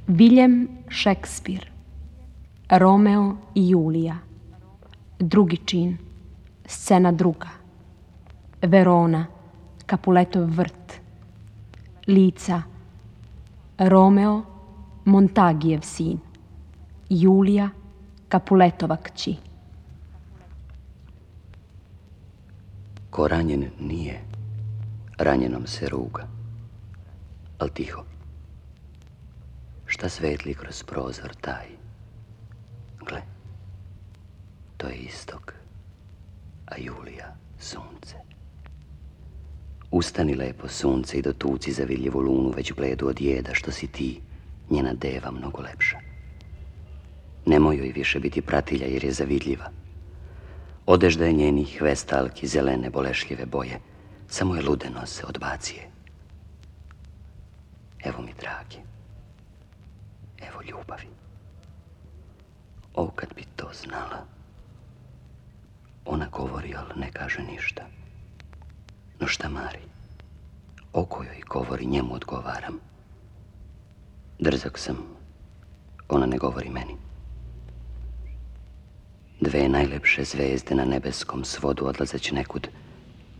William Shakespeare, Romeo i Julija, drugi čin, scena druga, Verona, Capuletov vrt, lica, Romeo, Montagijev sin, Julija, Capuletova kći. Ko ranjen nije, ranjenom se ruga, al tiho. Šta svetli kroz prozor taj? Gle, to je istok, a Julija sunce. Ustani lepo sunce i dotuci za vidljivu lunu već bledu od jeda što si ti, njena deva mnogo lepša. Nemoj joj više biti pratilja jer je zavidljiva. Odežda je njenih vestalki zelene bolešljive boje, samo je ludeno se odbacije. Evo mi dragi, evo ljubavi. O, kad bi to znala. Ona govori, ali ne kaže ništa. No šta mari? O kojoj govori, njemu odgovaram. Drzak sam, ona ne govori meni. Dve najlepše zvezde na nebeskom svodu odlazeći nekud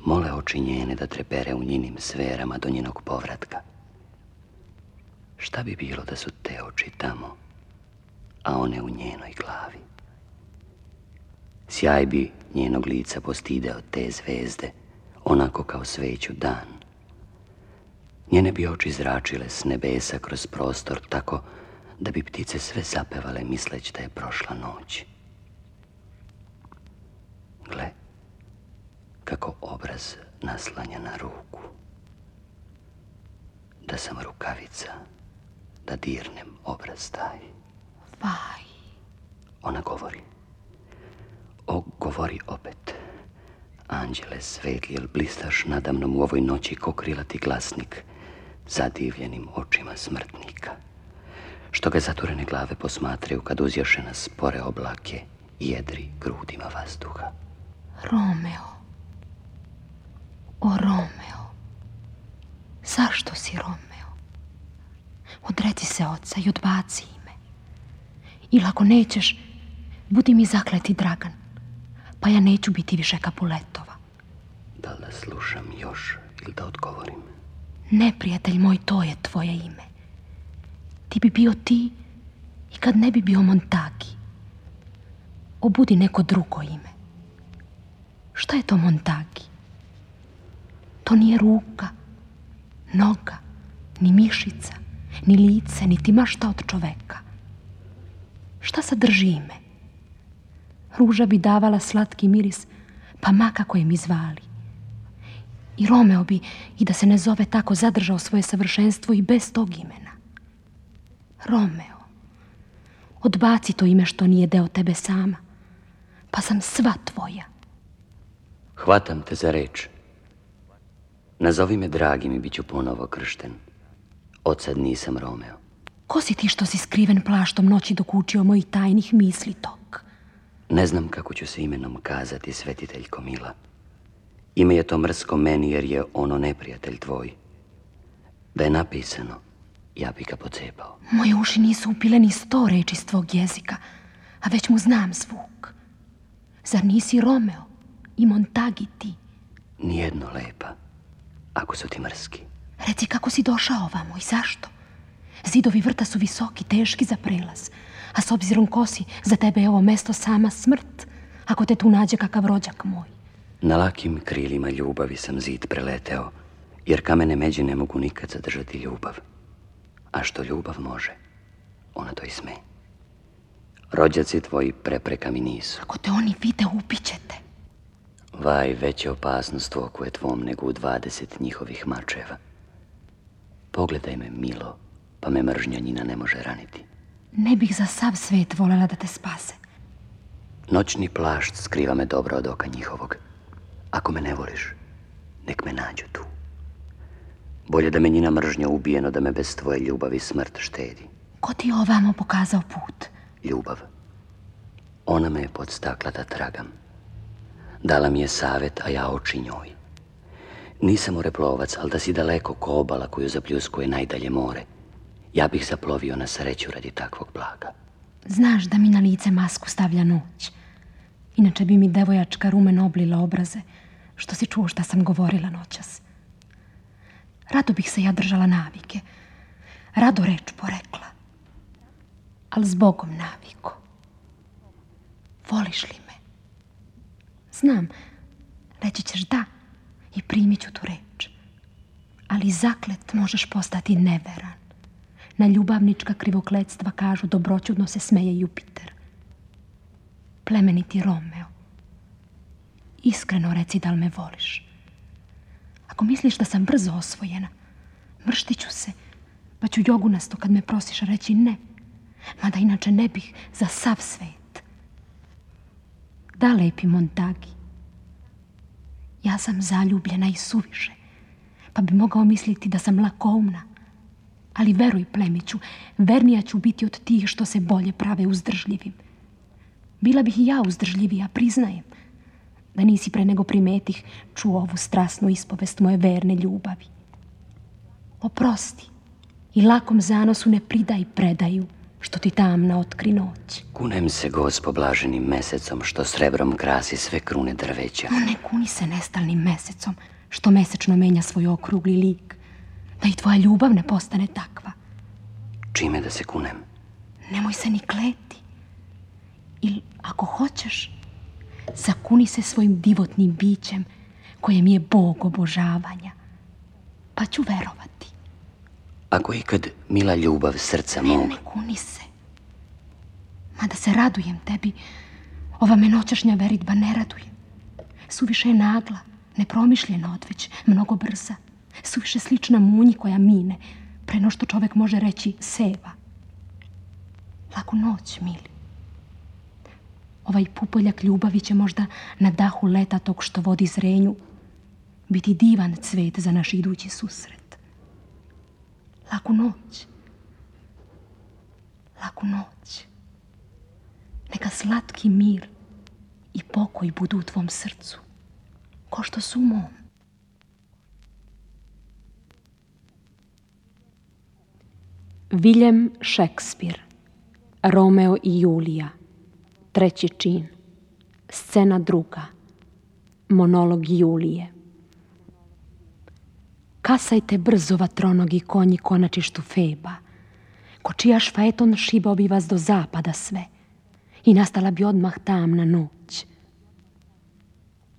mole oči njene da trepere u njenim sferama do njenog povratka. Šta bi bilo da su te oči tamo, a one u njenoj glavi? Sjaj bi njenog lica postideo te zvezde, onako kao sveću dan. Njene bi oči zračile s nebesa kroz prostor tako da bi ptice sve zapevale misleć da je prošla noć. Gle, kako obraz naslanja na ruku. Da sam rukavica, da dirnem obraz taj. Vaj. Ona govori. O, govori opet. Anđele svetli, jel blistaš nadamnom u ovoj noći ko krilati glasnik zadivljenim očima smrtnika, što ga zaturene glave posmatraju kad uzjaše na spore oblake i jedri grudima vazduha. Romeo. O, Romeo. Zašto si Romeo? Odreci se oca i odbaci ime. Ili ako nećeš, budi mi zakleti Dragan, pa ja neću biti više Capuletova. Da li da slušam još ili da odgovorim? Ne, prijatelj moj, to je tvoje ime. Ti bi bio ti i kad ne bi bio Montagi. Obudi neko drugo ime. Šta je to Montagi? To nije ruka, noga, ni mišica, ni lice, niti mašta od čoveka. Šta sadrži ime? Ruža bi davala slatki miris, pa ma kako je mi zvali. I Romeo bi, i da se ne zove tako, zadržao svoje savršenstvo i bez tog imena. Romeo, odbaci to ime što nije deo tebe sama, pa sam sva tvoja. Hvatam te za reč. Nazovi me dragim i bit ću ponovo kršten. Odsad nisam Romeo. Ko si ti što si skriven plaštom noći dok učio mojih tajnih misli tok? Ne znam kako ću se imenom kazati, svetiteljko mila. Ime je to mrsko meni jer je ono neprijatelj tvoj. Da je napisano, ja bi ga pocepao. Moje uši nisu upile ni 100 reči s tvog jezika, a već mu znam zvuk. Zar nisi Romeo i Montagi ti? Nijedno lepa, ako su ti mrski. Reci kako si došao ovamo i zašto? Zidovi vrta su visoki, teški za prelaz, a s obzirom ko si, za tebe je ovo mesto sama smrt, ako te tu nađe kakav rođak moj. Na lakim krilima ljubavi sam zid preleteo, jer kamene međe ne mogu nikad zadržati ljubav. A što ljubav može, ona to i sme. Rođaci tvoji prepreka mi nisu. Ako te oni vide, ubiće te. Vaj, veća opasnost u oku je tvom nego u 20 njihovih mačeva. Pogledaj me, milo, pa me mržnja njina ne može raniti. Ne bih za sav svet voljela da te spase. Noćni plašt skriva me dobro od oka njihovog. Ako me ne voliš, nek me nađu tu. Bolje da me njina mržnja ubije, no da me bez tvoje ljubavi smrt štedi. Ko ti je ovamo pokazao put? Ljubav. Ona me je podstakla da tragam. Dala mi je savet, a ja oči njoj. Nisam moreplovac, ali da si daleko ko obala koju zapljuskuje najdalje more. Ja bih zaplovio na sreću radi takvog blaga. Znaš da mi na lice masku stavlja noć. Inače bi mi devojačka rumeno oblila obraze, što si čuo šta sam govorila noćas. Rado bih se ja držala navike. Rado reč porekla. Ali zbogom naviko. Voliš li me? Znam, reći ćeš da i primit ću tu reč. Ali zaklet možeš postati neveran. Na ljubavnička krivokletstva kažu dobroćudno se smeje Jupiter. Plemeniti Romeo, iskreno reci da li me voliš. Ako misliš da sam brzo osvojena, mrštit ću se, pa ću jogunasto kad me prosiš reći ne, mada inače ne bih za sav svet. Da, lepi Montagi, ja sam zaljubljena i suviše, pa bi mogao misliti da sam lakoumna, ali veruj, plemiću, vernija ću biti od tih što se bolje prave uzdržljivim. Bila bih i ja uzdržljivija, priznajem, da nisi pre nego primetih čuo ovu strasnu ispovest moje verne ljubavi. Oprosti i lakom zanosu ne pridaj predaju, što ti tamna otkri noć. Kunem se, Gospo, blaženim mesecom, što srebrom krasi sve krune drveća. No, ne kuni se nestalnim mesecom, što mesečno menja svoj okrugli lik, da i tvoja ljubav ne postane takva. Čime da se kunem? Nemoj se ni kleti. Ili, ako hoćeš, zakuni se svojim divotnim bićem, koje mi je Bog obožavanja, pa ću verovati. Ako ikad mila ljubav srca mog... Ne kuni se. Mada se radujem tebi, ova me noćašnja veritba ne raduje. Suviše je nagla, nepromišljena odveć, mnogo brza. Suviše slična munji koja mine, pre no što čovek može reći seva. Laku noć, mili. Ovaj pupoljak ljubavi će možda na dahu leta tog što vodi zrenju biti divan cvet za naš idući susret. Laku noć. Laku noć. Neka slatki mir i pokoj budu u tvom srcu, ko što su u mom. William Shakespeare, Romeo i Julija, 3. čin, scena 2, monolog Julije. Kasajte brzo, vatronogi konji konačištu Feba, ko čijaš faeton šibao bi vas do zapada sve i nastala bi odmah tamna noć.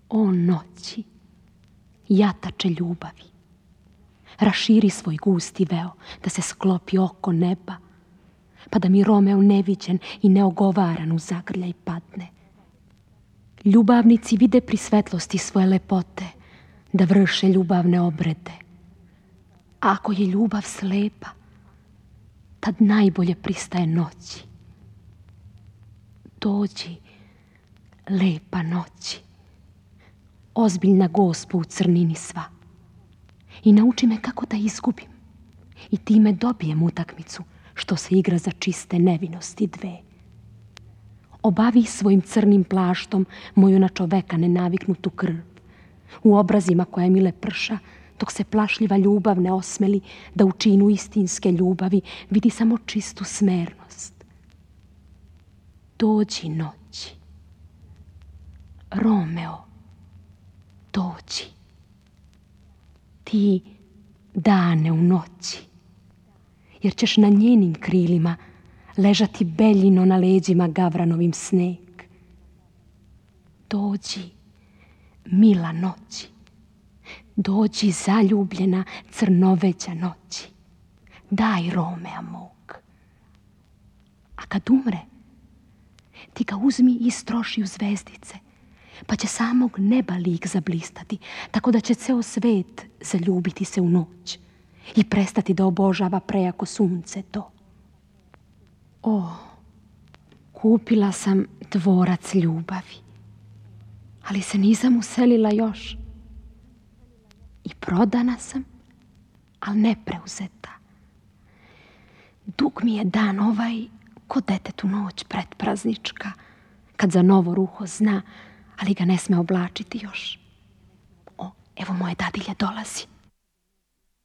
O noći, jatače ljubavi, raširi svoj gusti veo da se sklopi oko neba, pa da mi Romeo neviđen i neogovaran u zagrljaj padne. Ljubavnici vide pri svetlosti svoje lepote da vrše ljubavne obrede. A ako je ljubav slepa, tad najbolje pristaje noći. Dođi, lepa noći, ozbiljna Gospo u crnini sva, i nauči me kako da izgubim i time dobijem utakmicu što se igra za čiste nevinosti dve. Obavi svojim crnim plaštom moju na čoveka nenaviknutu krv, u obrazima koja mi leprša, dok se plašljiva ljubav ne osmeli da u činu istinske ljubavi vidi samo čistu smernost. Dođi noći. Romeo, dođi. Ti dane u noći, jer ćeš na njenim krilima ležati beljino na leđima gavranovim sneg. Dođi, mila noći. Dođi, zaljubljena crnoveđa noći. Daj Romea mog. A kad umre, ti ga uzmi i istroši u zvezdice, pa će samog neba lik zablistati, tako da će ceo svet zaljubiti se u noć i prestati da obožava prejako sunce to. O, kupila sam dvorac ljubavi, ali se nisam uselila još. I prodana sam, ali ne preuzeta. Dug mi je dan ovaj, ko detetu noć pretpraznička, kad za novo ruho zna, ali ga ne sme oblačiti još. O, evo moje dadilje dolazi.